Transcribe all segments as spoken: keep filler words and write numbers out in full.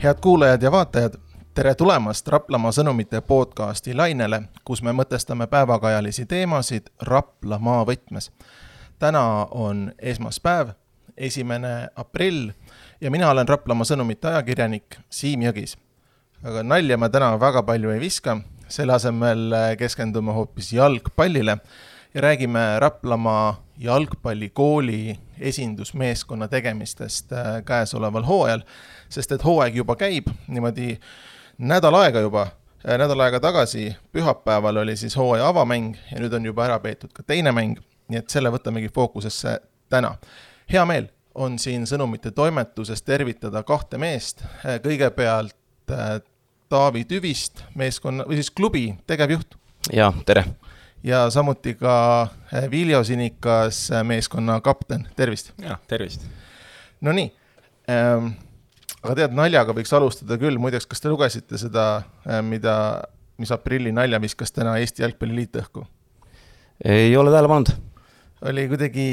Head kuulajad ja vaatajad, tere tulemast Raplamaa sõnumite podcasti lainele, kus me mõtestame päevakajalisi teemasid Raplamaa võtmes. Täna on esmaspäev, esimene aprill ja mina olen Raplamaa sõnumite ajakirjanik Siim Jõgis. Aga nalja ma täna väga palju ei viska, selle asemel keskendume hoopis jalgpallile ja räägime Raplamaa jalgpallikooli esindusmeeskonna tegemistest käesoleval hooajal, sest et hooaeg juba käib, niimoodi nädal aega juba, nädal aega tagasi pühapäeval oli siis hooaja avamäng ja nüüd on juba ära peetud ka teine mäng, nii et selle võtamegi fookusesse täna. Hea meel on siin sõnumite toimetuses tervitada kahte meest, kõigepealt Taavi Tüvist, meeskonna, või siis klubi tegevjuht. Ja, tere. Ja samuti ka Viljo Sinikas, meeskonna kapten. Tervist. Ja, tervist. No nii, ähm, aga tead, naljaga võiks alustada küll. Muideks, kas te lugesite seda, mida, mis aprilli nalja viskas täna Eesti Jalgpalliliit õhku? Ei ole tähele pannud. Oli kuidagi,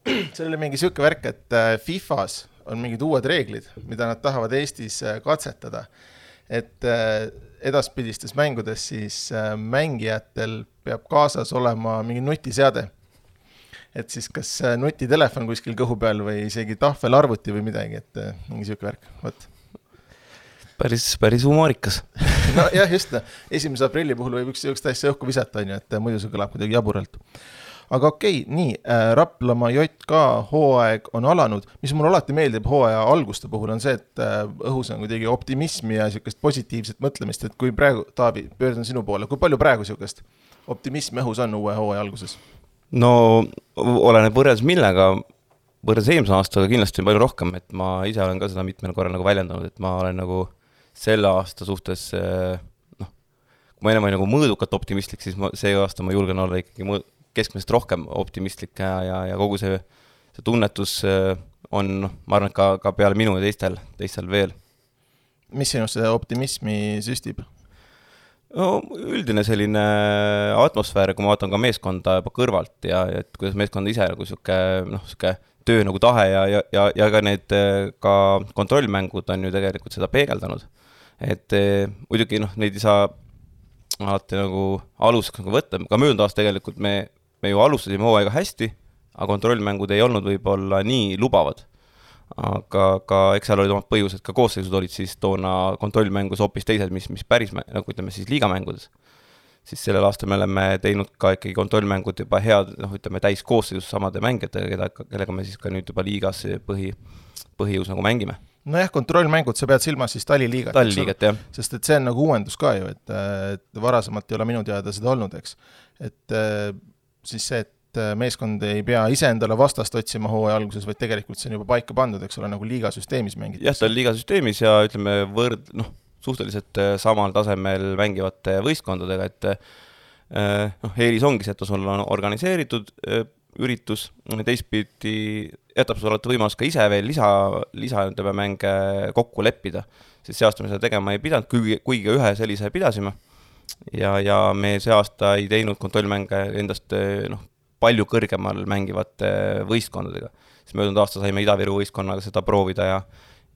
see oli mingi siuke värk, et FIFAs on mingid uued reeglid, mida nad tahavad Eestis katsetada. Et edaspidistes mängudes siis mängijatel peab kaasas olema mingi nutiseade. Et siis kas nutitelefon kuskil kõhu peal või isegi tahvel arvuti või midagi, et mingi siuke värk. Võt. Päris, päris humoorikas. No jah, just. esimese aprilli puhul võib üks, üks täiesti õhku visata, et muidu see kõlab kuidagi jaburalt. Aga okei, nii, Raplamaa J K hooaeg on alanud. Mis mul alati meeldib hooaja alguste puhul on see, et õhus on kuidagi optimismi ja siukest positiivset mõtlemist, et kui praegu, Taavi, pöördun sinu poole, kui palju praegu siukest optimismi õhus on uue hooaja alguses? No, oleneb võrreldes millega, võrreldes eelmise aastaga kindlasti palju rohkem, et ma ise olen ka seda mitmel korral nagu väljendanud, et ma olen nagu selle aasta suhtes, noh, kui ma enam olen nagu mõõdukat optimistlik, siis ma, see aasta ma julgen olla ikkagi mõõd, keskmisest rohkem optimistlik ja, ja, ja kogu see, see tunnetus on, ma arvan, ka, ka peale minu ja teistel, teistel veel. Mis sinu see optimismi süstib? No, üldine selline atmosfäär, kui ma vaatan ka meeskonda juba kõrvalt ja et kuidas meeskonda ise nagu siuke, noh, siuke töö nagu tahe ja, ja, ja, ja ka need ka kontrollmängud on ju tegelikult seda peegeldanud. Et muidugi, noh, neid ei saa alati nagu aluseks nagu võtta. Ka möödunud aasta tegelikult me me ju alustasime hooaega hästi, aga kontrollmängud ei olnud võib-olla nii lubavad. Aga ka, eks seal olid omad põhjused, ka koosseisud olid siis toona kontrollmängus hoopis teised, mis, mis päris, nagu ütleme siis liigamängudes. Siis sellel aastal me oleme teinud ka ikkagi kontrollmängud juba head, noh, ütleme täis koosseisus samade mängijatega, keda, kellega me siis ka nüüd juba liigas põhi, põhijõus nagu mängime. No jah, kontrollmängud, sa pead silmas siis taliliigat. Taliliigat, jah. Sest et see on nagu uuendus ka ju, et, et varasemalt ei ole minu teada seda olnud, eks. Et siis see, et meeskond ei pea ise endale vastast otsima hooaja alguses, vaid tegelikult see on juba paika pandud, eks ole, nagu liigasüsteemis mängid. Jah, ta on liigasüsteemis ja ütleme võrd, noh, suhteliselt samal tasemel mängivate võistkondadega, et noh, eelis ongi see, et sul on organiseeritud üritus, teistpidi jätab sul alati võimalus ka ise veel lisa, lisa ütleme, mänge kokku leppida, sest see aasta me seda tegema ei pidanud, kuigi, kuigi ühe sellise pidasime. Ja, ja me see aasta ei teinud kontrollmänge endast noh, palju kõrgemal mängivate võistkondadega. Siis möödunud aasta saime Ida-Viru võistkonnaga seda proovida ja,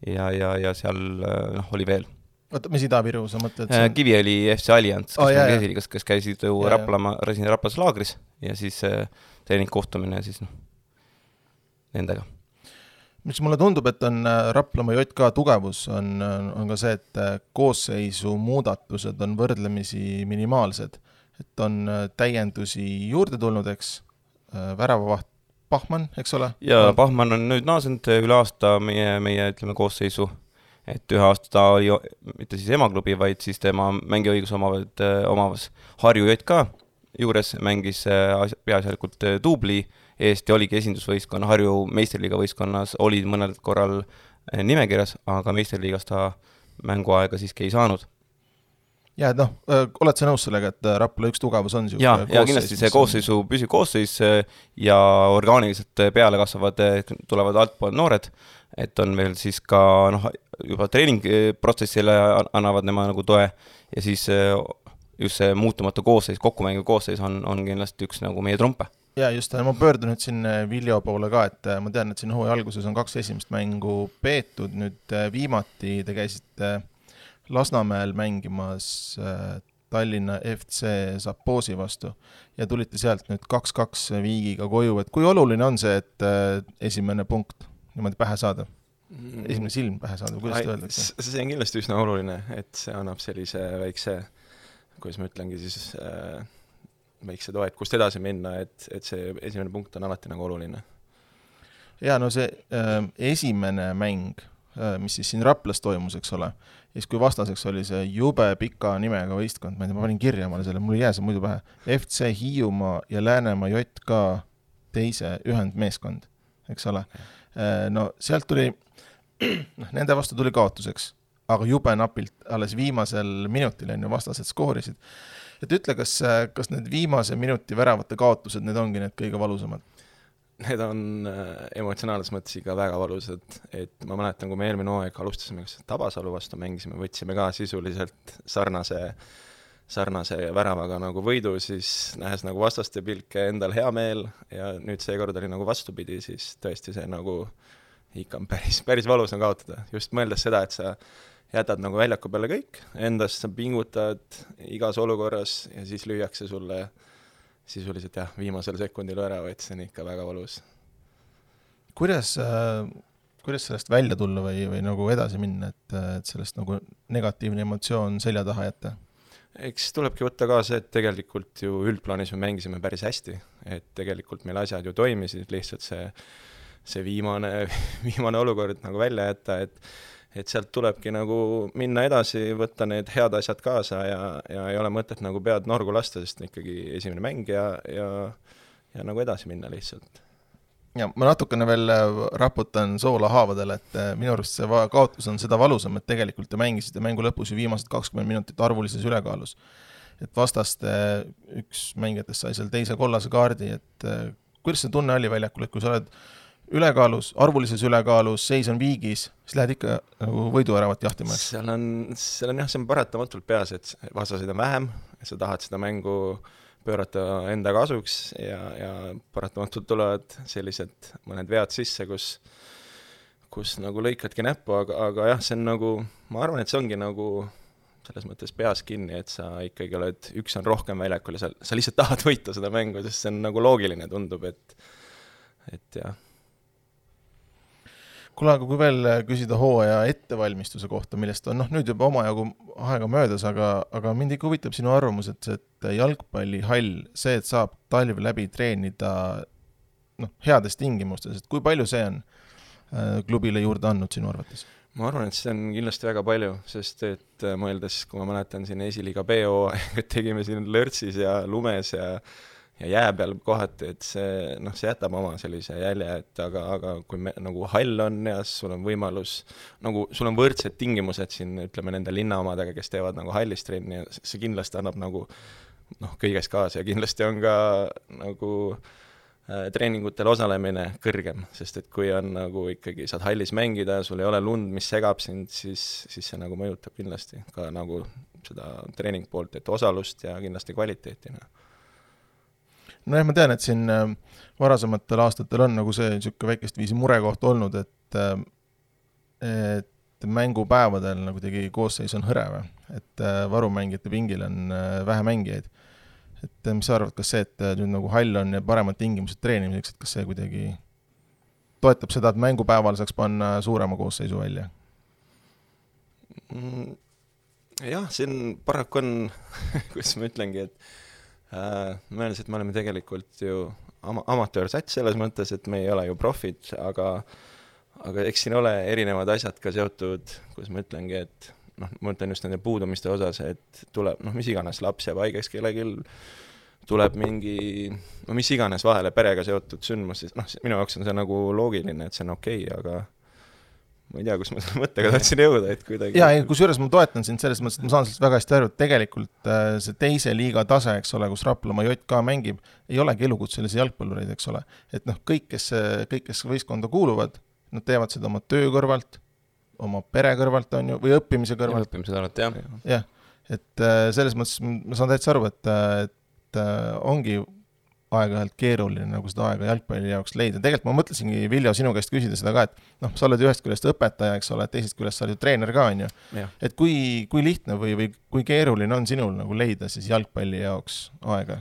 ja, ja, ja seal noh, oli veel. Oota, mis Ida-Viru sa mõtled? Äh, Kivi oli F C Alliance, kes, oh, käisid, kes, kes käisid ju Raplama, Raplas laagris ja siis äh, treening kohtumine siis noh, nendega. Mis mulle tundub, et on Raplamaa J K tugevus, on, on ka see, et koosseisu muudatused on võrdlemisi minimaalsed. Et on täiendusi juurde tulnud, eks, väravavaht Pahman, eks ole? Ja Pahman on nüüd naasend üle aasta meie, meie ütleme, koosseisu. Et ühe aasta ta oli mitte siis emaklubi, vaid siis tema mängiõigus omavad, omavas Harju J K juures mängis peaasjalikult duubli eest ja oligi esindusvõistkonna, Harju meisterliiga võistkonnas oli mõnel korral nimekirjas, aga meisterliigas ta mänguaega siiski ei saanud. Ja, noh, oled sa nõus sellega, et Rapla üks tugevus on? Ja, ja kindlasti see koosseisu püsi koosseis ja orgaaniliselt peale kasvavad, tulevad altpool noored, et on veel siis ka noh, juba treeningprotsessile annavad nema nagu toe ja siis just see muutumatu koosseis, kokkumängiv koosseis on, on kindlasti üks nagu meie trumpe. ja just, ma pöördun nüüd siin Viljo poole ka, et ma tean, et siin hooaja alguses on kaks esimest mängu peetud, nüüd viimati te käisite Lasnamäel mängimas Tallinna F C Zapoosi vastu ja tulite sealt nüüd kaks-kaks viigiga koju, et kui oluline on see, et esimene punkt niimoodi pähe saada? Esimene silm pähe saada, kuidas te öeldakse? See on kindlasti üsna oluline, et see annab sellise väikse, kuidas ma ütlengi siis, äh, väikse toe, et kust edasi minna, et, et see esimene punkt on alati nagu oluline. Ja no see äh, esimene mäng, äh, mis siis siin Raplas toimus, eks ole, ja siis kui vastaseks oli see jube pika nimega võistkond, ma ei tea, ma panin kirja male selle, mul ei jää see muidu pähe, F C Hiiumaa ja Läänemaa J K teise ühendmeeskond, eks ole. No sealt tuli, nende vastu tuli kaotuseks, aga jube napilt alles viimasel minutil enne vastased skoorisid. Et ütle, kas, kas need viimase minuti väravate kaotused, need ongi need kõige valusamad? Need on emotsionaalses mõttes ikka väga valusad, et ma mäletan, kui me eelmine hooaeg alustasime Tabasalu vastu mängisime, võtsime ka sisuliselt sarnase, sarnase väravaga nagu võidu, siis nähes nagu vastaste pilke endal hea meel ja nüüd seekord oli nagu vastupidi, siis tõesti see nagu ikka on päris, päris valus on kaotada. Just mõeldes seda, et sa jätad nagu väljaku peale kõik, endast sa pingutad igas olukorras ja siis lüüakse sulle sisuliselt jah, viimasel sekundil ära, et see on ikka väga valus. Kuidas, äh, kuidas sellest välja tulla või, või nagu edasi minna, et, et sellest nagu negatiivne emotsioon selja taha jätta? Eks tulebki võtta ka see, et tegelikult ju üldplaanis me mängisime päris hästi, et tegelikult meil asjad ju toimisid, lihtsalt see, see viimane, viimane olukord nagu välja jätta, et et sealt tulebki nagu minna edasi, võtta need head asjad kaasa ja, ja ei ole mõtet nagu pead norgu lasta, sest ikkagi esimene mäng ja, ja, ja nagu edasi minna lihtsalt. Ja ma natukene veel raputan soola haavadel, et minu arust see kaotus on seda valusam, et tegelikult te mängisite mängu lõpus ju viimased kakskümmend minutit arvulises ülekaalus. Et vastaste üks mängijatest sai seal teise kollase kaardi, et kuidas see tunne oli väljakul, et kui sa oled ülekaalus, arvulises ülekaalus, seis on viigis, siis lähed ikka nagu võiduäravat jahtima. Seal on, seal on jah, see on paratamatult peas, et vastaseid on vähem, et sa tahad seda mängu pöörata enda kasuks ja, ja paratamatult tulevad sellised mõned vead sisse, kus, kus nagu lõikadki näppu, aga, aga jah, see on nagu, ma arvan, et see ongi nagu selles mõttes peas kinni, et sa ikkagi oled, üks on rohkem väljakul ja sa, sa lihtsalt tahad võita seda mängu, sest see on nagu loogiline, tundub, et, et jah. Kuule, aga kui veel küsida hooaja ettevalmistuse kohta, millest on noh, nüüd juba omajagu aega möödas, aga, aga mind ikka huvitab sinu arvamus, et, et jalgpallihall, see, et saab talv läbi treenida noh, heades tingimustes, et kui palju see on klubile juurde andnud sinu arvates? Ma arvan, et see on kindlasti väga palju, sest et mõeldes, kui ma mäletan siin esiliiga B O, et tegime siin lörtsis ja lumes ja ja jää peal kohati, et see, noh, see jätab oma sellise jälje, et aga, aga kui me, nagu hall on ja sul on võimalus, nagu sul on võrdsed tingimused siin, ütleme nende linnaomadega, kes teevad nagu hallis trenni ja see kindlasti annab nagu noh, kõiges kaasa ja kindlasti on ka nagu äh, treeningutel osalemine kõrgem, sest et kui on nagu ikkagi saad hallis mängida ja sul ei ole lund, mis segab sind, siis, siis see nagu mõjutab kindlasti ka nagu seda treening poolt, et osalust ja kindlasti kvaliteetina. No jah, ma tean, et siin varasematel aastatel on nagu see niisugune väikest viisi murekoht olnud, et, et mängupäevadel nagu tegi koosseis on hõreve, et varumängijate pingil on vähe mängijaid. Et mis sa arvad, kas see, et nüüd nagu hall on ja paremad tingimused treenimiseks, et kas see kuidagi toetab seda, et mängupäeval saaks panna suurema koosseisu välja? Jah, siin paraku on, kuidas ma ütlengi, et Äh, mõeldes, et me oleme tegelikult ju ama- amatöörsats selles mõttes, et me ei ole ju profid, aga, aga eks siin ole erinevad asjad ka seotud, kus ma ütlengi, et noh, ma ütlen just nende puudumiste osas, et tuleb, noh, mis iganes laps jääb haigeks kellelgi, tuleb mingi, no mis iganes vahele perega seotud sündmus, siis noh, minu jaoks on see nagu loogiline, et see on okei, aga ma ei tea, kus ma selle mõttega tahtsin jõuda, et kuidagi... Jaa, kus juures ma toetan sind selles mõttes, et ma saan sellest väga hästi aru, et tegelikult see teise liiga tase, eks ole, kus Raplamaa J K mängib, ei olegi elukutselisi jalgpallureid, eks ole. Et noh, kõik, kes, kõik, kes võistkonda kuuluvad, nad teevad seda oma töö kõrvalt, oma pere kõrvalt on ju, või õppimise kõrvalt. Ja õppimise kõrvalt, jah. Jah, et selles mõttes ma saan täitsa aru, et, et ongi aeg-ajalt keeruline nagu seda aega jalgpalli jaoks leida. Tegelikult ma mõtlesingi, Viljo, sinu käest küsida seda ka, et noh, sa oled ühest küljest õpetaja, eks ole, teisest küljest sa oled ju treener ka, on ju. Et kui, kui lihtne või, või kui keeruline on sinul nagu leida siis jalgpalli jaoks aega?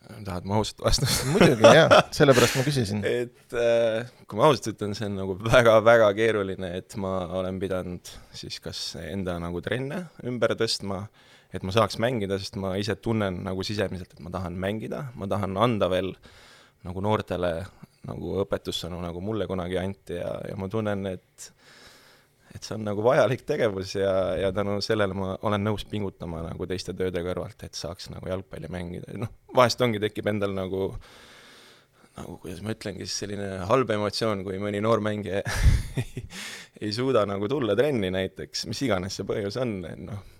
Tahad ma ausalt vastust? Muidugi, jah, sellepärast ma küsisin. Et äh, kui ma ausalt ütlen, see on nagu väga-väga keeruline, et ma olen pidanud siis kas enda nagu trenne ümber tõstma, et ma saaks mängida, sest ma ise tunnen nagu sisemiselt, et ma tahan mängida, ma tahan anda veel nagu noortele nagu õpetussõnu, nagu mulle kunagi anti ja, ja ma tunnen, et, et see on nagu vajalik tegevus ja, ja tänu sellele ma olen nõus pingutama nagu teiste tööde kõrvalt, et saaks nagu jalgpalli mängida. Noh, vahest ongi tekib endal nagu, nagu kuidas ma ütlengi, selline halb emotsioon, kui mõni noor mängija ei suuda nagu tulla trenni näiteks, mis iganes see põhjus on, noh,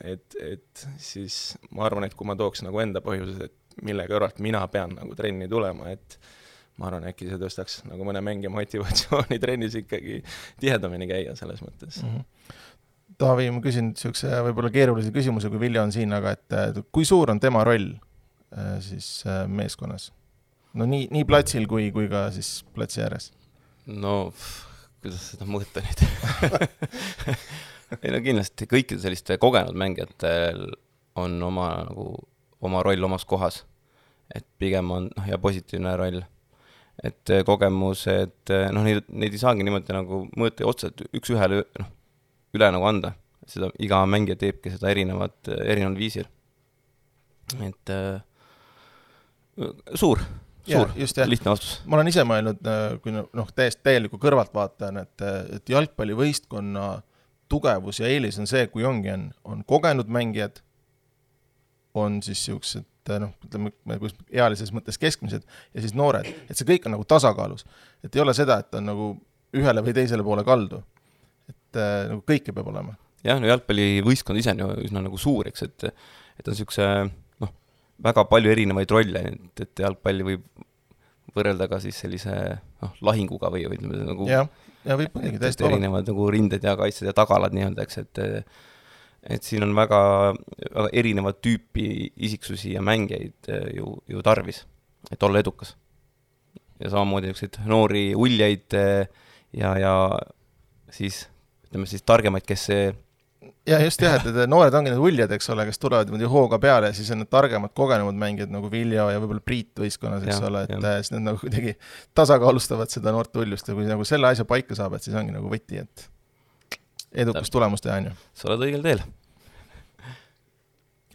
et, et siis ma arvan, et kui ma tooks nagu enda põhjuses, et mille kõrvalt mina pean nagu trenni tulema, et ma arvan, äkki see tõstaks nagu mõne mängija motivatsiooni trennis ikkagi tihedamini käia selles mõttes. Mm-hmm. Taavi, ma küsin niisuguse võib-olla keerulise küsimuse, kui Viljo on siin, aga et kui suur on tema roll siis meeskonnas? No nii, nii platsil kui, kui ka siis platsi ääres? No, kuidas seda mõõta nüüd? Ei no kindlasti kõikide selliste kogenud mängijatel on oma, nagu, oma roll omas kohas. Et pigem on noh, ja positiivne roll. Et kogemus, et noh, neid, neid ei saagi niimoodi nagu mõõta otsa, et üks ühele noh, üle nagu anda. Seda iga mängija teebki seda erinevat, erineval viisil. Et äh, suur, suur, ja, just, ja. Lihtne vastus. Ma olen ise mõelnud, kui noh, täiesti täieliku kõrvalt vaatan, et, et jalgpallivõistkonna tugevus ja eelis on see, kui ongi, on, on kogenud mängijad, on siis siuksed, noh, ütleme, ealises mõttes keskmised ja siis noored, et see kõik on nagu tasakaalus. Et ei ole seda, et on nagu ühele või teisele poole kaldu. Et nagu kõike peab olema. Jah, no jalgpallivõistkond ise on ju üsna nagu suur, eks, et, et on siukse, noh, väga palju erinevaid rolle, et, et jalgpalli võib võrrelda ka siis sellise noh, lahinguga või, või nagu... Ja. Ja võib muidugi täiesti erinevad nagu rinded ja kaitsed ja tagalad nii-öelda, eks, et et siin on väga, väga erinevad tüüpi isiksusi ja mängijaid ju, ju tarvis, et olla edukas. Ja samamoodi niisugused noori uljaid ja, ja siis, ütleme siis targemaid, kes see ja just jah, et noored ongi need uljad, eks ole, kes tulevad hooga peale ja siis on need targemad kogenud mängijad nagu Viljo ja võib-olla Priit võistkonnas, eks ja, ole, et ja. Siis need nagu kuidagi tasakaalustavad seda noort uljust ja kui nagu selle asja paika saab, et siis ongi nagu võti, et edukas Täp. Tulemus teha, on ju. Sa oled õigel teel.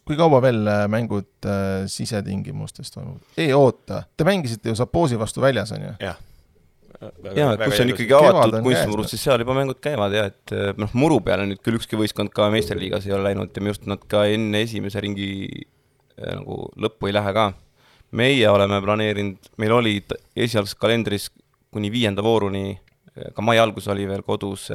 Kui kaua veel mängud äh, sisetingimustest toimuvad? Ei oota, te mängisite ju Sapoosi vastu väljas, on ju? Jah. Jaa, et kus on ikkagi avatud kunstimurud, siis seal juba mängud käivad ja et noh, muru peale nüüd küll ükski võistkond ka meisterliigas ei ole läinud ja me just nad ka enne esimese ringi nagu lõppu ei lähe ka. Meie oleme planeerinud, meil oli esialgs kalendris kuni viienda vooruni, ka mai algus oli veel kodus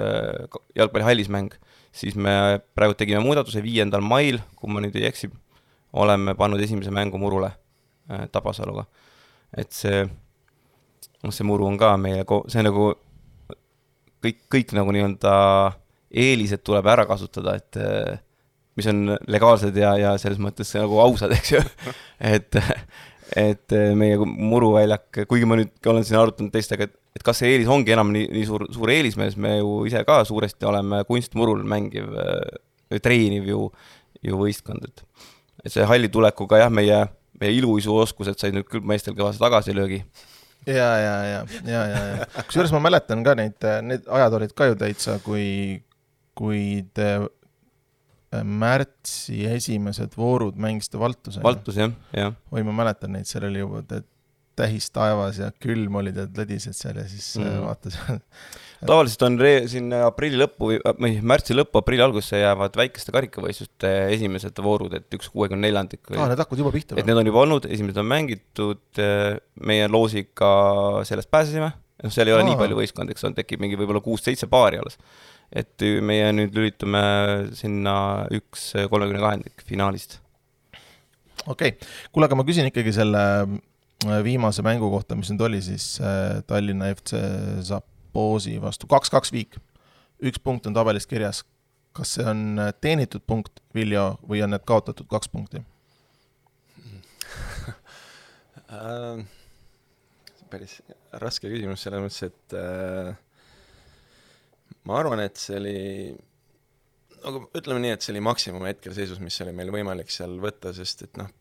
jalgpallihallis mäng, siis me praegu tegime muudatuse viiendal mail, kui ma nüüd ei eksi, oleme pannud esimese mängu murule Tabasaluga. Et see see muru on ka meie, see nagu kõik, kõik nagu nii-öelda eelised tuleb ära kasutada, et mis on legaalsed ja, ja selles mõttes nagu ausad, eks ju. et, et meie muruväljak, kuigi ma nüüd olen siin arutanud teistega, et, et kas see eelis ongi enam nii, nii suur, suur eelismees, me ju ise ka suuresti oleme kunstmurul mängiv, treeniv ju, ju võistkond. Et, et see halli tulekuga jah, meie, meie iluisu oskused said nüüd küll meestel kõvasti tagasi löögi. Ja, ja, ja, ja, ja, ja. Kusjuures ma mäletan ka neid, need ajad olid ka ju täitsa, kui, kui te märtsi esimesed voorud mängisite Valtuse. Valtus, jah, jah. Või ma mäletan neid, seal oli juba tähis taevas ja külm olid ja lõdised seal ja siis mm. vaatas. Tavaliselt on re- siin aprilli lõppu, või märtsi lõppu, aprilli algusse jäävad väikeste karikavõistluste esimesed voorud, et üks kuuekümne neljandik. Ah, need hakkavad juba pihta. Et need on juba olnud, esimesed on mängitud, meie loosiga sellest pääsesime, no seal ei ole Aa. nii palju võistkond, eks on, tekib mingi võib-olla kuus-seitse paari alles. Et meie nüüd lülitume sinna üks kolmekümne kahendik finaalist. Okei, okay. Kuule, aga ma küsin ikkagi selle viimase mängu kohta, mis nüüd oli siis Tallinna F C Sapoosi vastu kaks-kaks viik. Üks punkt on tabelist kirjas. Kas see on teenitud punkt, Viljo, või on need kaotatud kaks punkti? äh,? Päris raske küsimus selles mõttes, et äh, ma arvan, et see oli, aga ütleme nii, et see oli maksimum hetkel seisus, mis oli meil võimalik seal võtta, sest et noh,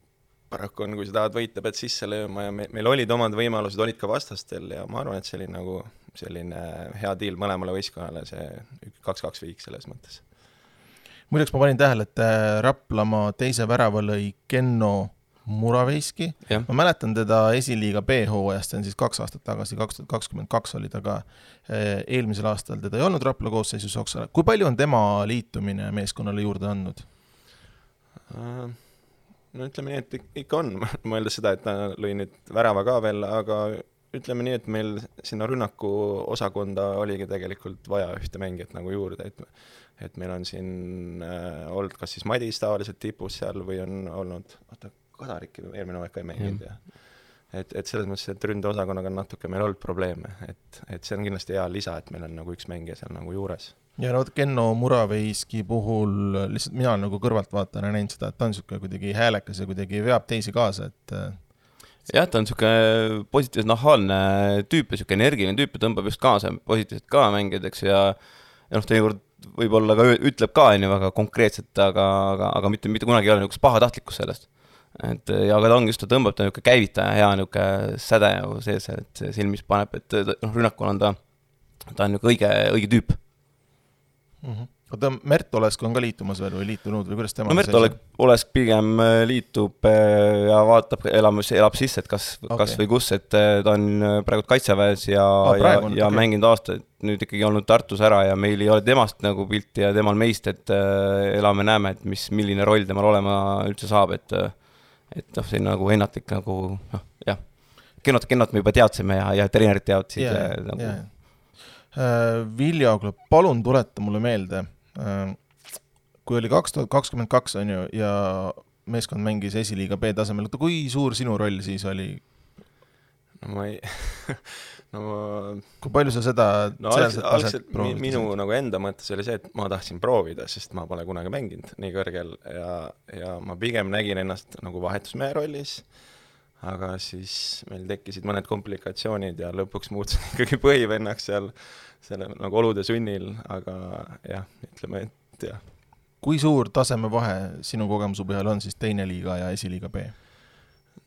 paraku on, kui sa tahad võita, pead sisse lööma ja me, meil olid omad võimalused, olid ka vastastel ja ma arvan, et see oli nagu selline hea deal mõlemale võistkonnale, see kaks-kaks viik selles mõttes. Muideks ma panin tähele, et Raplamaa teise värava lõi Kenno Muraveiski. Ja. Ma mäletan teda esiliiga B-hooajast, see on siis kaks aastat tagasi, kaks tuhat kakskümmend kaks oli ta ka eelmisel aastal, teda ei olnud Rapla koosseisus Oksala. Kui palju on tema liitumine meeskonnale juurde andnud? Uh... No ütleme nii, et ikka on, mõeldes seda, et ta lõi nüüd värava ka veel, aga ütleme nii, et meil sinna rünnaku osakonda oligi tegelikult vaja ühte mängijat nagu juurde, et, et meil on siin äh, olnud kas siis Madis tavaliselt tipus seal või on olnud, oota, Kadariki eelmine aeg ka ei mänginud ja et, et selles mõttes, et ründeosakonnaga on natuke meil olnud probleeme, et, et see on kindlasti hea lisa, et meil on nagu üks mängija seal nagu juures. Ja no Kenno Muraveiski puhul lihtsalt mina nagu kõrvalt vaatan ja näin seda, et ta on niisugune kuidagi häälekas ja kuidagi veab teisi kaasa, et jah, ta on niisugune positiivselt nahaalne tüüp ja niisugune energiline tüüp ja tõmbab just kaasa positiivselt ka mängijadeks ja, ja noh, teinekord võib-olla ka ütleb ka on ju väga konkreetselt, aga, aga, aga mitte, mitte kunagi ei ole niisugust pahatahtlikuks sellest. Et, ja aga ta ongi just, ta tõmbab ta niisugune käivitaja hea niisugune säde sees, et silmis paneb, et noh, rünnakul on ta, ta on niisugune õige, õige tüüp. Mm-hmm. Oota, Mert Olesk on ka liitumas veel või liitunud või kuidas tema? No Mert Olesk, Olesk pigem liitub ja vaatab, elab, elab sisse, et kas, okay. kas või kus, et ta on praegu kaitseväes ja, ah, praegu, ja, ja okay. mänginud aastaid nüüd ikkagi olnud Tartus ära ja meil ei ole temast nagu pilti ja temal meist, et elame, näeme, et mis, milline roll temal olema üldse saab, et, et noh, see on nagu ennatlik nagu, noh, jah, kennot, kennot me juba teadsime ja, ja treenerid teadsid yeah, nagu yeah. Vilja, palun tuleta mulle meelde, kui oli kaks tuhat kakskümmend kaks on ju ja meeskond mängis esiliiga B tasemel, kui suur sinu roll siis oli? No ma ei... no ma... Kui palju sa seda no, algselt, algselt minu nagu enda mõttes oli see, et ma tahtsin proovida, sest ma pole kunagi mänginud nii kõrgel ja, ja ma pigem nägin ennast nagu vahetusmehe rollis, aga siis meil tekkisid mõned komplikatsioonid ja lõpuks muutusin ikkagi põhivennaks seal selle nagu olude sunnil, aga jah, ütleme, et jah. Kui suur taseme vahe sinu kogemuse põhjal on siis teine liiga ja esiliiga B?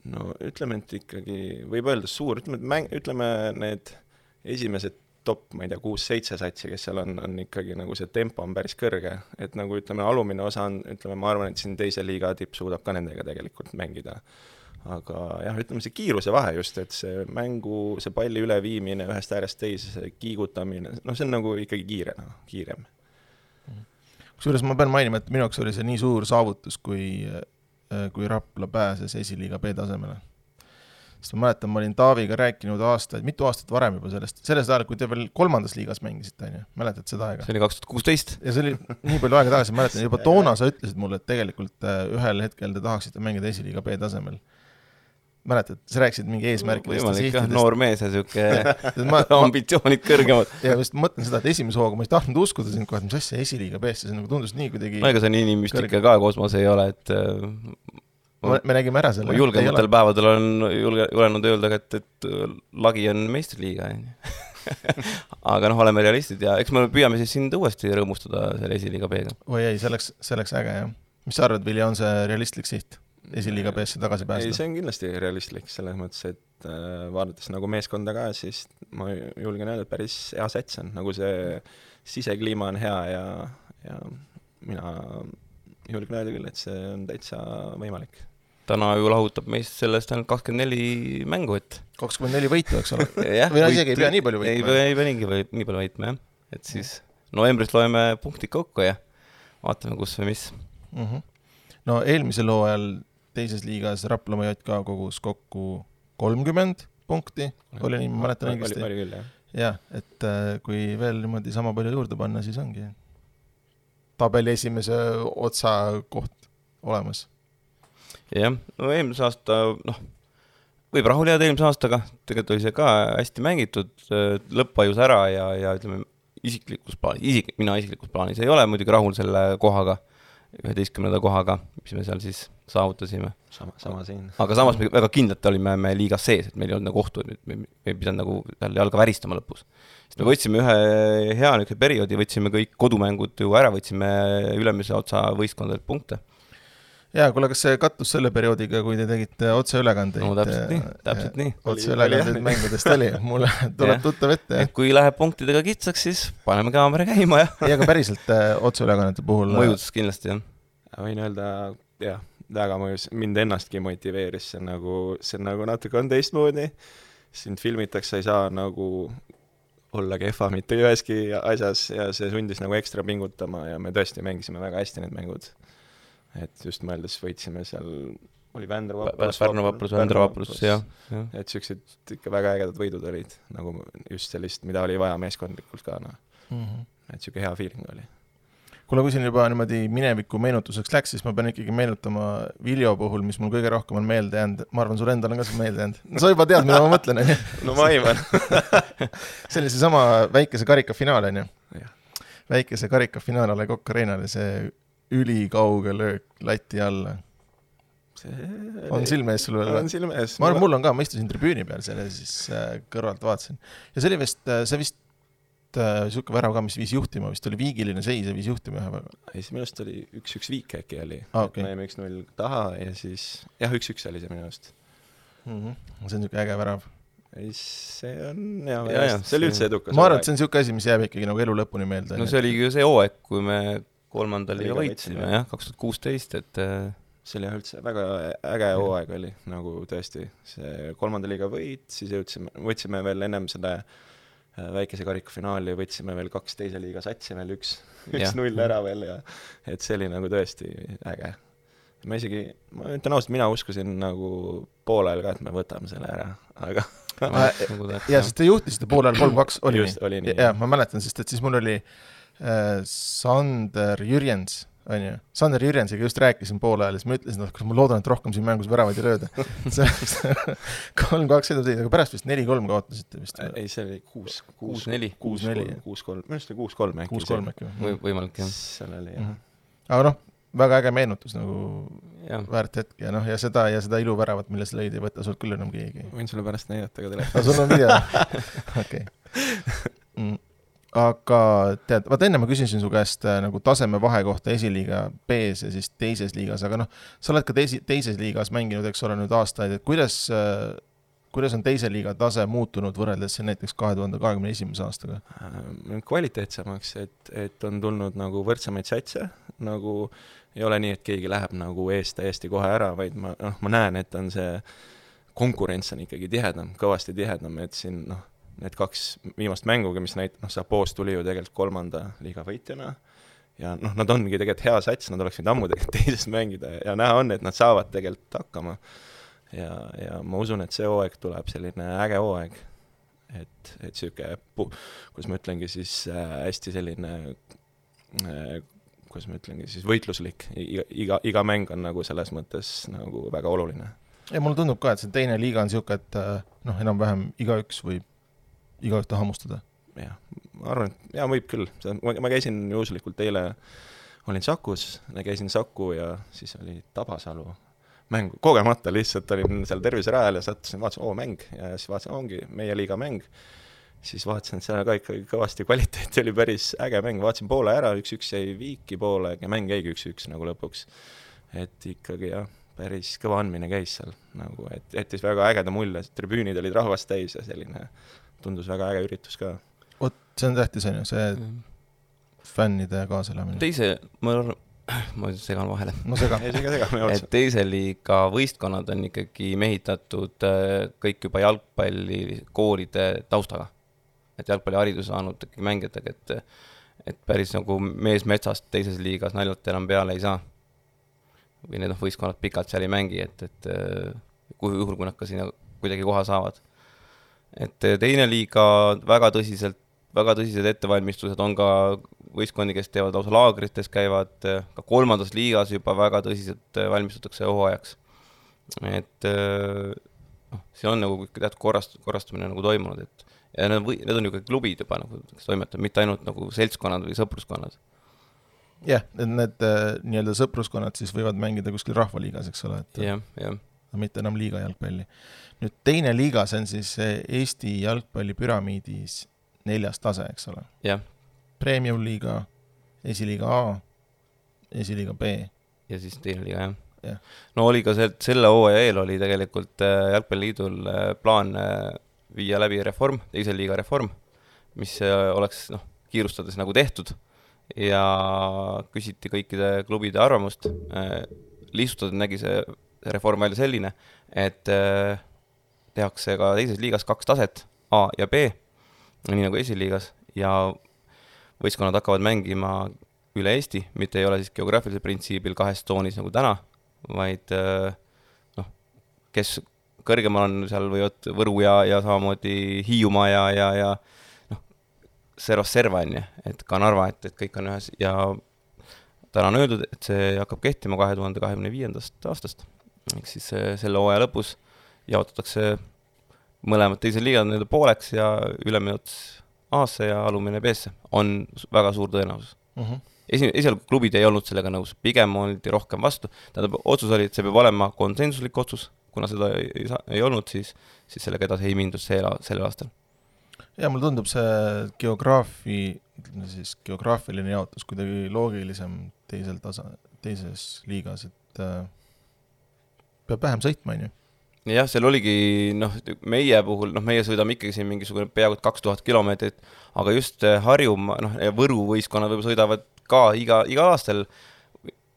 No ütleme, et ikkagi võib öelda suur, ütleme, et mäng, ütleme need esimesed top, ma ei tea, kuus-seitse satsi, kes seal on, on ikkagi nagu see tempo on päris kõrge, et nagu ütleme, alumine osa on, ütleme, ma arvan, et siin teise liiga tipp suudab ka nendega tegelikult mängida. Aga jah, ütleme see kiiruse vahe just, et see mängu, see palli üleviimine ühest äärest teise, see kiigutamine, no see on nagu ikkagi kiire, no, kiirem. Kusjuures ma pean mainima, et minu jaoks oli see nii suur saavutus, kui, kui Rapla pääses esiliiga B tasemele. Sest ma mäletan, ma olin Taaviga rääkinud aastaid, mitu aastat varem juba sellest, sellest ajal, kui te veel kolmandas liigas mängisite, mäletad seda aega? See oli kaks tuhat kuusteist. Ja see oli nii palju aega tagasi, mäletan, juba toona sa ütlesid mulle, et tegelikult ühel hetkel te tahaksite mängida esiliiga B tasemel. Mäletad, sa rääkisid mingi eesmärkidest ja sihtidest. Noor mees ja siuke ambitsioonid kõrgemad. Ja just mõtlen seda, et esimese hooga ma ei tahtnud uskuda siin kohe, et mis asja esiliiga B-sse, see nagu tundus nii kuidagi... No ega see nii müstika ka kosmos ei ole, et... Me, me nägime ära selle. Julgematel päevadel on julge, julenud öelda, et, et lagi on meistriliiga. Aga noh, oleme realistid ja eks me püüame siis sind uuesti rõõmustada selle esiliiga B-ga. Või ei, selleks, selleks äge, jah. Mis sa arvad, Vilja, on see realistlik siht? Esiliiga B-sse tagasi pääseda? Ei, see on kindlasti realistlik selles mõttes, et äh, vaadates nagu meeskonda ka, siis ma julgen öelda, et päris hea sets on, nagu see sisekliima on hea ja, ja mina julgen öelda küll, et see on täitsa võimalik. Täna ju lahutab meist sellest ainult kakskümmend neli mängu, et kakskümmend neli võitu, eks ole? Või isegi ei pea nii palju võitma? Ei, ei pea nii, nii palju võitma, jah. Et siis novembris loeme punktid kokku ja vaatame, kus või mis. Mm-hmm. No eelmisel hooajal teises liigas Raplamaa J K kogus kokku kolmkümmend punkti, oli nii, ma mäletan õigesti. Oli küll, jah. Jah, et kui veel niimoodi sama palju juurde panna, siis ongi tabeli esimese otsa koht olemas. Jah, no eelmise aasta, noh, võib rahul jääda eelmise aastaga, tegelikult oli see ka hästi mängitud, lõppajus ära ja, ja ütleme, isiklikus plaanis, isik, mina isiklikus plaanis ei ole muidugi rahul selle kohaga, üheteistkümnenda kohaga, mis me seal siis saavutasime. Sama, sama siin. Aga samas me väga kindlalt olime me liigas sees, et meil ei olnud nagu ohtu, et me ei pidanud nagu seal jalga väristama lõpus. Sest me võtsime ühe hea niisuguse perioodi, võtsime kõik kodumängud ju ära, võtsime ülemise otsa võistkondadelt punkte. Jaa, kuule, kas see kattus selle perioodiga, kui te tegite otseülekandeid? No täpselt nii, täpselt nii. Otseülekandeid mängudest oli, mulle tuleb tuttav ette. Et kui läheb punktidega kitsaks, siis paneme kaamera käima ja... ja ka päriselt otseülekannete puhul... Mõjus kindlasti, jah. Võin öelda, jah, väga mõjus. Mind ennastki motiveeris, see nagu, see nagu natuke on teistmoodi. Sind filmitakse, ei saa nagu olla kehva mitte üheski asjas ja see sundis nagu ekstra pingutama ja me tõesti mängisime väga hästi need mängud. Et just mõeldes võitsime seal, oli Vändra vaprus, Pärnu vaprus, Vändra vaprus, jah. Et sellised ikka väga ägedad võidud olid, nagu just sellist, mida oli vaja meeskondlikult ka, no. Mm-hmm. Et siuke hea feeling oli. Kuule, kui siin juba niimoodi mineviku meenutuseks läks, siis ma pean ikkagi meenutama Viljo puhul, mis mul kõige rohkem on meelde jäänud. Ma arvan, sul endal on ka see meelde jäänud. No, sa juba tead, mida ma mõtlen. No ma aivan. See oli see sama väikese karika finaal, on ju? Väikese karika finaal oli Kokk Areenale, see ülikauge löök lati alla. See on silmees sul veel? On silmees. Ma arvan, mul on ka, ma istusin tribüüni peal selle, siis kõrvalt vaatasin. Ja see oli vist, see vist siuke värav ka, mis viis juhtima, vist oli viigiline seis ja viis juhtima ühe väga. Ei, see minust oli üks-üks viik äkki oli. Ah, okay. Me jäime üks-null taha ja siis, jah, üks-üks oli see minust. Mm-hmm. See on siuke äge värav. Ei, see on, jah, ja, ja, see oli üldse edukas. Ma arvan, et see on siuke asi, mis jääb ikkagi nagu elu lõpuni meelde. No see oli ju see hooaeg, kui me kolmandal liiga võitsime, jah, kaks tuhat kuusteist, et see oli üldse väga äge hooaeg oli, nagu tõesti. See kolmanda liiga võit, siis jõudsime, võtsime veel ennem selle väikese karikafinaali, võtsime veel kaks teise liiga satsi veel üks, üks null ära veel ja et see oli nagu tõesti äge. Ma isegi, ma ütlen ausalt, mina uskusin nagu poolel ka, et me võtame selle ära, aga ja, sest te juhtisite poolel kolm kaks oli Just, nii. Oli nii. Ja, ma mäletan, sest et siis mul oli Sander Jürjens, on ju. Sander Jürjensiga just rääkisin poole ajal, siis ma ütlesin, et ma loodan, et rohkem siin mängus väravaid ei lööda. kolm kaks edasi, aga pärast vist neli kolm kaotasite vist. Ei, see oli kuus neli. kuus neli. kuus kolm. Minu arust oli kuus kolm äkki. kuus kolm äkki. Võimalik, jah. Seal oli, jah. Aga noh, väga äge meenutus nagu ja. Väärt hetk ja noh, ja seda, ja seda ilu väravat, milles lõid ei võtta sult küll enam keegi. Võin sulle pärast näidata ka telefoni. Aga sul on video? Okei. Mm. Aga tead, vaata enne ma küsisin su käest nagu taseme vahe kohta esiliiga B-s ja siis teises liigas, aga noh, sa oled ka teisi, teises liigas mänginud, eks ole nüüd aastaid, et kuidas, kuidas on teise liiga tase muutunud võrreldes näiteks kahe tuhande kahekümne esimese aastaga? Kvaliteetsemaks, et, et on tulnud nagu võrdsemaid satse, nagu ei ole nii, et keegi läheb nagu eest täiesti kohe ära, vaid ma, noh, ma näen, et on see konkurents on ikkagi tihedam, kõvasti tihedam, et siin noh, need kaks viimast mänguga, mis näit-, noh, Sapoos tuli ju tegelikult kolmanda liiga võitjana ja noh, nad ongi tegelikult hea sats, nad oleks võinud ammu tegelikult teises mängida ja näha on, et nad saavad tegelikult hakkama ja, ja ma usun, et see hooaeg tuleb selline äge hooaeg, et, et siuke, kus ma ütlengi siis äh, hästi selline äh, kus ma ütlengi siis võitluslik, iga, iga, iga mäng on nagu selles mõttes nagu väga oluline. Ja mulle tundub ka, et see teine liiga on siuke, et noh, enam-vähem igaüks võib igaühte hammustada. Jah, ma arvan, et jah, võib küll. Ma, ma käisin juhuslikult eile, olin Sakus, käisin Saku ja siis oli Tabasalu mäng. Kogemata lihtsalt olin seal terviserajal ja sattusin, vaatasin, oo, mäng. Ja siis vaatasin, ongi meie liiga mäng. Siis vaatasin, et seal ka ikkagi kõvasti kvaliteeti oli päris äge mäng. Vaatasin poole ära, üks-üks jäi viiki poole ja mäng jäigi üks-üks nagu lõpuks. Et ikkagi jah, päris kõva andmine käis seal. Nagu, et jättis väga ägeda mulje. Tribüünid olid rahvast täis ja selline tundus väga äge üritus ka. Oot, see on tähtis, on ju, see mm. fännide kaaselamine. Teise, ma, ma segan vahele. No sega. Ei, sega, sega, me et teise liiga võistkonnad on ikkagi mehitatud kõik juba jalgpallikoolide taustaga. Et jalgpalliharidus saanud ikkagi mängijatega, et, et päris nagu mees metsast teises liigas naljalt enam peale ei saa. Või need on võistkonnad pikalt seal ei mängi, et, et kui juhul, kui nad ka sinna kuidagi koha saavad. Et teine liiga väga tõsiselt, väga tõsised ettevalmistused on ka võistkondi, kes teevad lausa laagrites, käivad ka kolmandas liigas juba väga tõsiselt valmistutakse hooajaks. Et noh, see on nagu teatud korrast, korrastumine nagu toimunud, et ja need on, või, need on ju kõik klubid juba nagu, kes toimetavad, mitte ainult nagu seltskonnad või sõpruskonnad. jah, et need äh, nii-öelda sõpruskonnad siis võivad mängida kuskil rahvaliigas, eks ole, et jah, jah. mitte enam liiga jalgpalli. Nüüd teine liiga, see on siis Eesti jalgpalli püramiidis neljas tase, eks ole. jah. Premium liiga, esiliiga A, esiliiga B. Ja siis teine liiga, jah. Ja. No oli ka see, selle hooaja eel oli tegelikult Jalgpalliliidul plaan viia läbi reform, teise liiga reform, mis oleks noh, kiirustades nagu tehtud ja küsiti kõikide klubide arvamust. Lihtsustades nägi see reform välja selline, et tehakse ka teises liigas kaks taset, A ja B, nii nagu esiliigas, ja võistkonnad hakkavad mängima üle Eesti, mitte ei ole siis geograafilise printsiibil kahes toonis nagu täna, vaid noh, kes kõrgemal on, seal võivad Võru ja, ja samamoodi Hiiumaa ja, ja, ja noh, servas serva on, et ka Narva, et, et kõik on ühes ja täna on öeldud, et see hakkab kehtima kahe tuhande kahekümne viiendast aastast, ehk siis selle hooaja lõpus jaotatakse mõlemad teised liigad nende pooleks ja üleminut A-sse ja alumine B-sse on väga suur tõenäosus. Uh-huh. Esi, esialgu klubid ei olnud sellega nõus, pigem oldi rohkem vastu. Tähendab, otsus oli, et see peab olema konsensuslik otsus, kuna seda ei, ei, ei olnud, siis, siis sellega edasi ei mindud selle, selle aastal. Ja mulle tundub see geograafi, siis geograafiline jaotus kuidagi loogilisem teisel tasa, teises liigas, et äh, peab vähem sõitma, on ju. Jah, seal oligi, noh, meie puhul, noh, meie sõidame ikkagi siin mingisugune peaaegu kaks tuhat kilomeetrit, aga just Harjumaa, noh, Võru võistkonnad võib sõidavad ka iga, iga aastal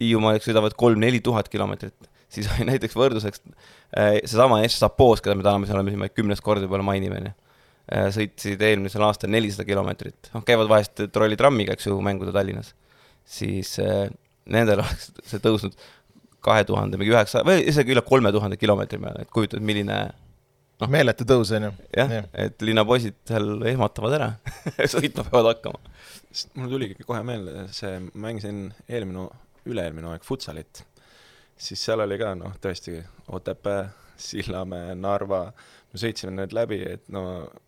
Hiiumaal sõidavad kolm-neli tuhat kilomeetrit. Siis oli näiteks võrduseks seesama S Sapoos, keda me täname, seal oleme kümnes kord võib-olla mainime, sõitsid eelmisel aastal nelisada kilomeetrit. No, käivad vahest trollitrammiga, eks ju, mänguda Tallinnas. Siis eh, nendel oleks see tõusnud kahe tuhande, mingi üheksa, või isegi üle kolme tuhande kilomeetri peale, et kujutad, milline no, meeletu tõus, on ju. Jah, ja. Et linnapoisid seal ehmatavad ära, sõitma peavad hakkama. Mul tuligi kohe meelde, see mängisin eelminu, üle-eelminu aeg futsalit, siis seal oli ka, noh, tõesti Otepää, Sillamäe, Narva, me sõitsime need läbi, et no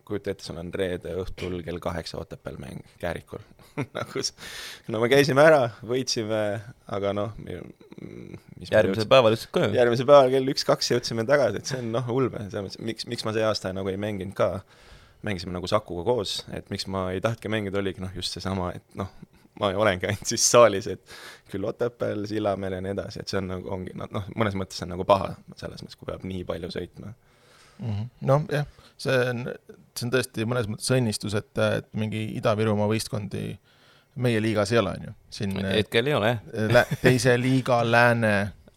kujuta ette, sul on reede õhtul kell kaheksa Otepääl mäng Käärikul. No me käisime ära, võitsime, aga noh, mis järgmise päeval ütlesid ka ju. Järgmise päeval kell üks kaks jõudsime tagasi, et see on noh ulme. Miks, miks ma see aasta nagu ei mänginud ka, mängisime nagu Sakuga koos, et miks ma ei tahtki mängida, oligi noh just see sama, et noh, ma olengi ainult siis saalis, et küll Otepääl, Sillamäel ja nii edasi, et see on nagu, ongi, noh, mõnes mõttes on nagu paha selles mõttes, kui peab nii palju sõitma. Mm-hmm. No jah, see on, see on tõesti mõnes mõttes õnnistus, et, et mingi Ida-Virumaa võistkondi meie liigas ei ole, on ju. Siin hetkel ei ole, lä- teise liiga lääne,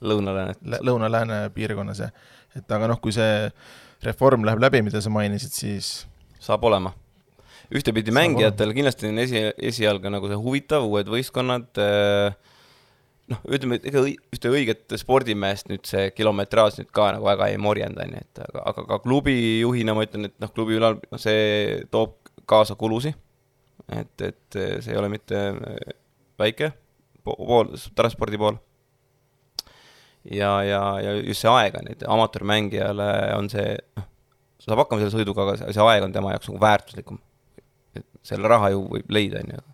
lõuna-lääne, lõuna-lääne piirkonnas. Et aga noh, kui see reform läheb läbi, mida sa mainisid, siis saab olema. Ühtepidi mängijatel olema. Kindlasti on esi, esialga nagu see huvitav, uued võistkonnad, noh, ütleme, et ega ühte õiget spordimeest nüüd see kilometraas nüüd ka nagu väga ei morjenda, et aga, aga ka klubi juhina ma ütlen, et noh, klubi ülal no, see toob kaasa kulusi, et, et see ei ole mitte väike pool, transpordi pool. Ja, ja, ja just see aeg on, et amatöörmängijale on see, noh, saab hakkama selle sõiduga, aga see aeg on tema jaoks nagu väärtuslikum. Et selle raha ju võib leida, on ju.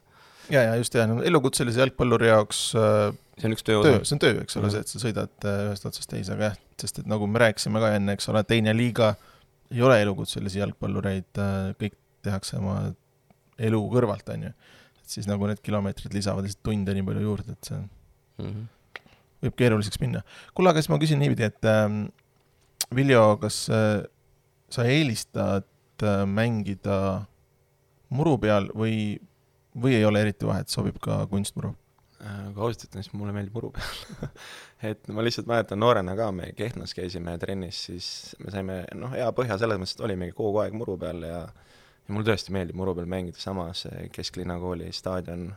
Ja, ja just jah, no, elukutselise jalgpalluri jaoks see on üks töö, töö, see on töö, eks ole, see, et sa sõidad ühest otsast teise, aga jah, sest et nagu me rääkisime ka enne, eks ole, teine liiga ei ole elukutselisi jalgpallureid, kõik tehakse oma elu kõrvalt, on ju. Et siis nagu need kilomeetrid lisavad lihtsalt tunde nii palju juurde, et see mm-hmm. võib keeruliseks minna. Kuule, aga siis ma küsin niipidi, et äh, Viljo, kas äh, sa eelistad äh, mängida muru peal või või ei ole eriti vahet, sobib ka kunstmuru? Kui ausalt ütlen, siis mulle meeldib muru peal. Et ma lihtsalt mäletan noorena ka, me Kehtnas käisime trennis, siis me saime noh, hea põhja selles mõttes, et olimegi kogu aeg muru peal ja, ja mul tõesti meeldib muru peal mängida samas Kesklinna kooli staadion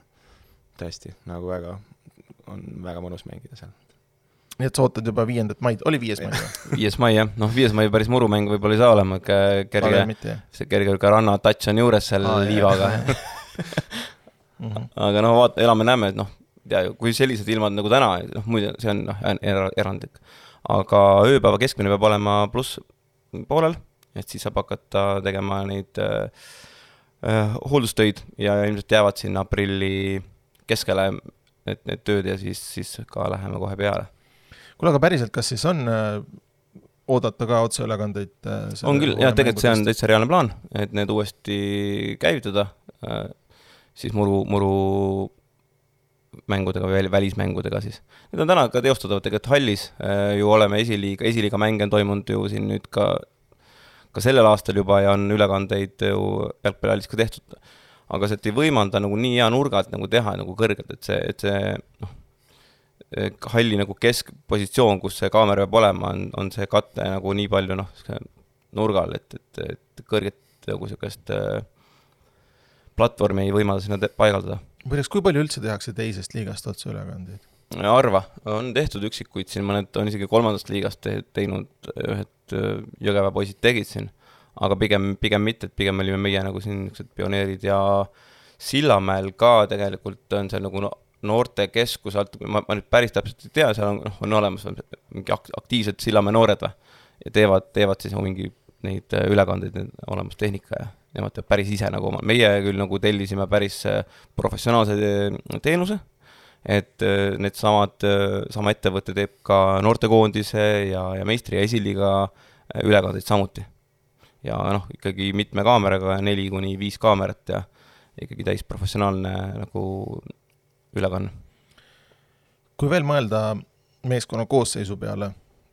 tõesti nagu väga, on väga mõnus mängida seal. Nii et sa ootad juba viiendat maid, oli viies mai? Viies mai, jah. Noh, viies mai päris murumäng võib-olla ei saa olema, kerge, mitte, see kerge ka ranna touch on juures seal Aa, liivaga. Aga noh, vaata, elame näeme, et noh, tea, kui sellised ilmad nagu täna, noh, muide, see on noh, erandlik. Aga ööpäeva keskmine peab olema pluss poolel, et siis saab hakata tegema neid äh, hooldustöid ja ilmselt jäävad sinna aprilli keskele need, need tööd ja siis, siis ka läheme kohe peale. Kuule, aga päriselt, kas siis on äh, oodata ka otseülekandeid? Äh, on küll, jah, tegelikult see on täitsa reaalne plaan, et need uuesti käivitada, äh, siis muru, muru mängudega või välismängudega siis. Need on täna ka teostatavad tegelikult hallis, äh, ju oleme esiliiga, esiliiga mänge on toimunud ju siin nüüd ka, ka sellel aastal juba ja on ülekandeid ju jalgpallihallis ka tehtud. Aga see ei võimalda nagu nii hea nurgalt nagu teha nagu kõrgelt, et see, et see noh, halli nagu keskpositsioon, kus see kaamera peab olema, on, on see katte nagu nii palju noh, nurgal, et, et, et kõrget nagu sellist platvormi ei võimalda sinna te- paigaldada. Mõneks, kui palju üldse tehakse teisest liigast otse ülekandeid? Arva, on tehtud üksikuid siin, mõned on isegi kolmandast liigast te- teinud, ühed Jõgeva poisid tegid siin. Aga pigem, pigem mitte, et pigem olime meie nagu siin pioneerid ja Sillamäel ka tegelikult on seal nagu noorte keskus, ma, ma nüüd päris täpselt ei tea, seal on, on olemas mingi aktiivsed Sillamäe noored või, ja teevad, teevad siis mingi neid ülekandeid olemas tehnika ja nemad teevad päris ise nagu oma. Meie küll nagu tellisime päris professionaalse teenuse, et need samad, sama ettevõte teeb ka noortekoondise ja, ja meistri ja esiliiga ülekandeid samuti. Ja noh, ikkagi mitme kaameraga, neli kuni viis kaamerat ja ikkagi täis professionaalne nagu ülekanne. Kui veel mõelda meeskonna koosseisu peale,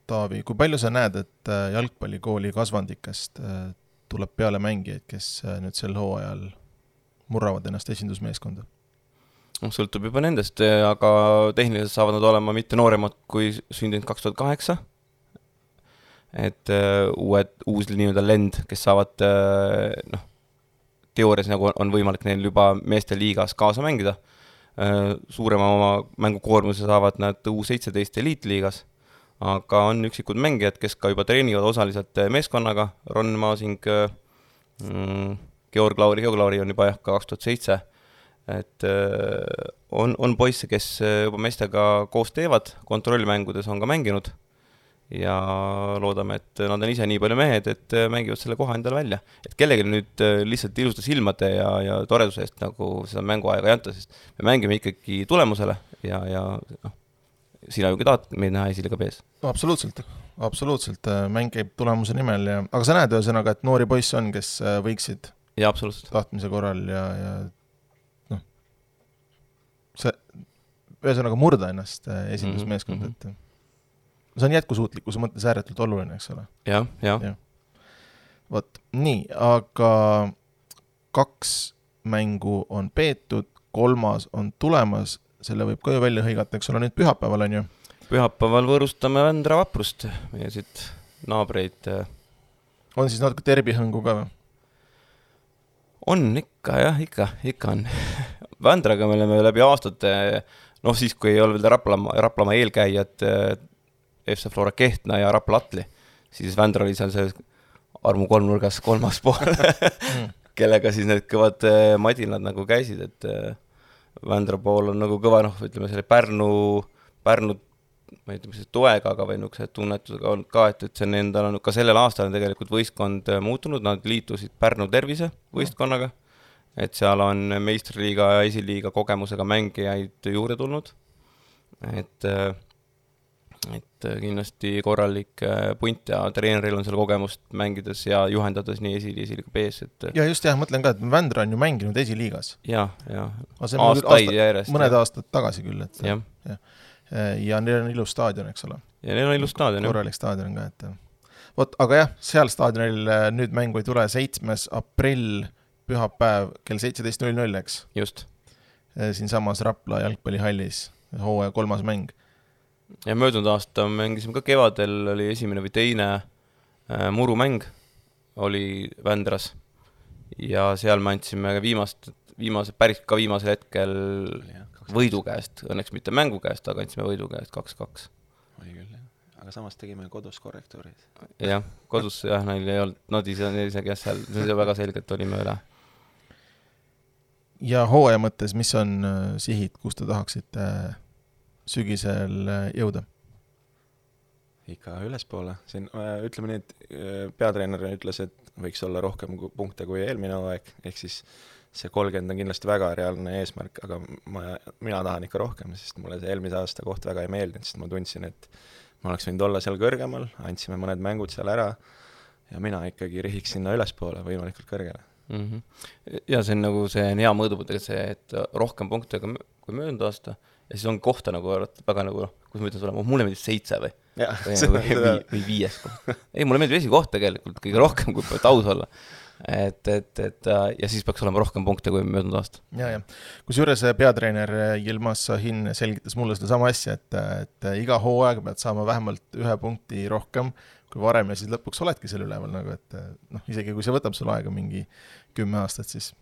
Taavi, kui palju sa näed, et jalgpallikooli kasvandikest tuleb peale mängijaid, kes nüüd sel hooajal murravad ennast esindusmeeskonda? Sõltub juba nendest, aga tehniliselt saavad nad olema mitte nooremad kui sündinud kaks tuhat kaheksa. Et uh, uued, uus nii-öelda lend, kes saavad uh, noh, teoorias nagu on võimalik neil juba meeste liigas kaasa mängida. Uh, suurema oma mängukoormuse saavad nad U seitseteist eliitliigas, aga on üksikud mängijad, kes ka juba treenivad osaliselt meeskonnaga. Ron Maasing, uh, Georg Lauri, Georg Lauri on juba jah ka kaks tuhat seitse. Et uh, on, on poisse, kes juba meestega koos teevad, kontrollmängudes on ka mänginud. Ja loodame, et nad on ise nii palju mehed, et mängivad selle koha endale välja. Et kellegi nüüd lihtsalt ilusta silmade ja, ja toreduse eest nagu seda mänguaega ei anta, sest me mängime ikkagi tulemusele ja, ja no, sina ju ka tahad meid näha esiliiga B-s. No, absoluutselt, absoluutselt. Mäng käib tulemuse nimel. Ja, aga sa näed ühesõnaga, et noori poiss on, kes võiksid ja, absoluutselt. Tahtmise korral ja, ja noh, see ühesõnaga murda ennast esindusmeeskond, mm-hmm. et see on jätkusuutlikkuse mõttes ääretult oluline, eks ole? Jah, jah. Ja. Vot, nii, aga kaks mängu on peetud, kolmas on tulemas, selle võib ka ju välja hõigata, eks ole, nüüd pühapäeval on ju? Pühapäeval võõrustame Vändra Vaprust, meie siit naabreid. On siis natuke terbihõngu ka või? On ikka, jah, ikka, ikka on. Vändraga me oleme läbi aastate, noh siis, kui ei ole veel Raplama, Raplama eelkäijad F C Flora Kehtna ja Rapla Atli, siis Vändra oli seal see armu kolmnurgas kolmas pool, mm. kellega siis need kõvad madinad nagu käisid, et Vändra pool on nagu kõva, noh, ütleme selle Pärnu, Pärnu, ma ei tea, mis see toega, aga või nukse tunnetusega on ka, et, et see endal on ka sellel aastal on tegelikult võistkond muutunud, nad liitusid Pärnu tervise võistkonnaga, et seal on meistriliiga ja esiliiga kogemusega mängijaid juurde tulnud, et et kindlasti korralik punt ja treeneril on seal kogemust mängides ja juhendades nii esili- esiliiga B-s, et ja just jah, mõtlen ka, et Vändra on ju mänginud esiliigas. Ja, ja, aastaid aasta, järjest. Mõned ja. aastad tagasi küll, et ja. Ja. ja neil on ilus staadion, eks ole. Ja neil on ilus staadion, korralik staadion ka, et vot, aga jah, seal staadionil nüüd mängu ei tule seitsmes aprill pühapäev kell seitseteist null null, eks? Just. Siin samas Rapla jalgpallihallis, hooaja kolmas mäng. Ja möödunud aasta mängisime ka kevadel, oli esimene või teine äh, murumäng oli Vändras ja seal me andsime viimast, viimase, päris ka viimasel hetkel võidu käest, õnneks mitte mängu käest, aga andsime võidu käest kaks kaks. Oli küll, jah. Aga samas tegime kodus korrektuurid. Jah, kodus jah, neil ei olnud, nad ise, isegi jah, seal see väga selgelt olime üle. Ja hooaja mõttes, mis on sihid, kus te tahaksite sügisel jõuda? Ikka ülespoole. Siin, ütleme nii, et peatreener ütles, et võiks olla rohkem punkte kui eelmine aeg, ehk siis see kolmkümmend on kindlasti väga reaalne eesmärk, aga ma, mina tahan ikka rohkem, sest mulle see eelmise aasta koht väga ei meeldinud, sest ma tundsin, et ma oleks võinud olla seal kõrgemal, andsime mõned mängud seal ära ja mina ikkagi rihiks sinna ülespoole võimalikult kõrgele. Mm-hmm. Ja see on nagu see on hea mõõdupuu, see, et rohkem punkte kui möödunud aasta ja siis on kohta nagu väga nagu, kus ma ütlen sulle, mulle meeldib seitse või, ja, või, või, või, või viies koht. Ei, mulle meeldib esikoht tegelikult kõige rohkem, kui peab aus olla. Et, et, et ja siis peaks olema rohkem punkte kui möödunud aasta. Ja, ja. Kus juures peatreener Yilmaz Sahin selgitas mulle seda sama asja, et, et iga hooaeg pead saama vähemalt ühe punkti rohkem kui varem ja siis lõpuks oledki selle üleval, nagu, et noh, isegi kui see võtab sul aega mingi kümme aastat, siis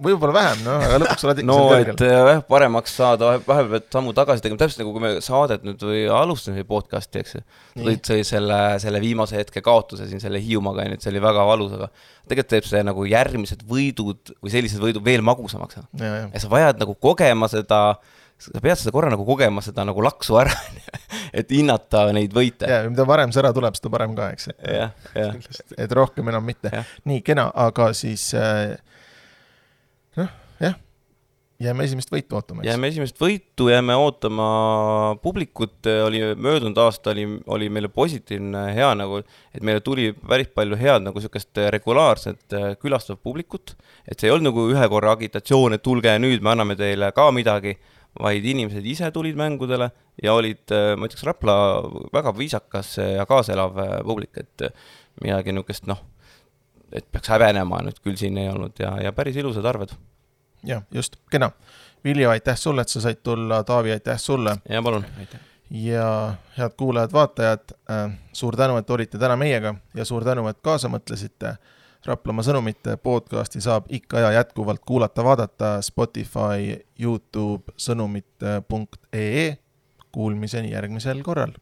võib-olla vähem, no, aga lõpuks oled ikka no, seal kõrgel. No, et paremaks saada, vahepeal pead sammu tagasi tegema, täpselt nagu kui me saadet nüüd või alustasime podcasti, eks tõid see selle, selle viimase hetke kaotuse siin selle Hiiumaga, et see oli väga valus, aga tegelikult teeb see nagu järgmised võidud või sellised võidud veel magusamaks. Ja, ja. ja sa vajad nagu kogema seda, sa pead seda korra nagu kogema seda nagu laksu ära, et hinnata neid võite. Ja, mida varem see ära tuleb, seda parem ka, eks. Et, ja, ja. et rohkem enam mitte. Ja. Nii, kena, aga siis noh, jah, jääme esimest võitu ootama. Jääme esimest võitu, jääme ootama publikut, oli möödunud aasta oli, oli meile positiivne hea nagu, et meile tuli päris palju head nagu sükest regulaarset külastav publikut, et see ei olnud nagu ühe korra agitatsioon, et tulge nüüd, me anname teile ka midagi, vaid inimesed ise tulid mängudele ja olid, ma ütleks, Rapla väga viisakas ja kaaselav publik, et midagi niukest, noh, et peaks häbenema, nüüd küll siin ei olnud ja, ja päris ilusad arved. Ja, just, kena. Viljo, aitäh sulle, et sa said tulla, Taavi, aitäh sulle. Ja, palun. Ja head kuulajad, vaatajad, suur tänu, et olite täna meiega ja suur tänu, et kaasa mõtlesite. Raplamaa sõnumite podcasti saab ikka ja jätkuvalt kuulata, vaadata Spotify, YouTube, sõnumite punkt ee. Kuulmiseni järgmisel korral.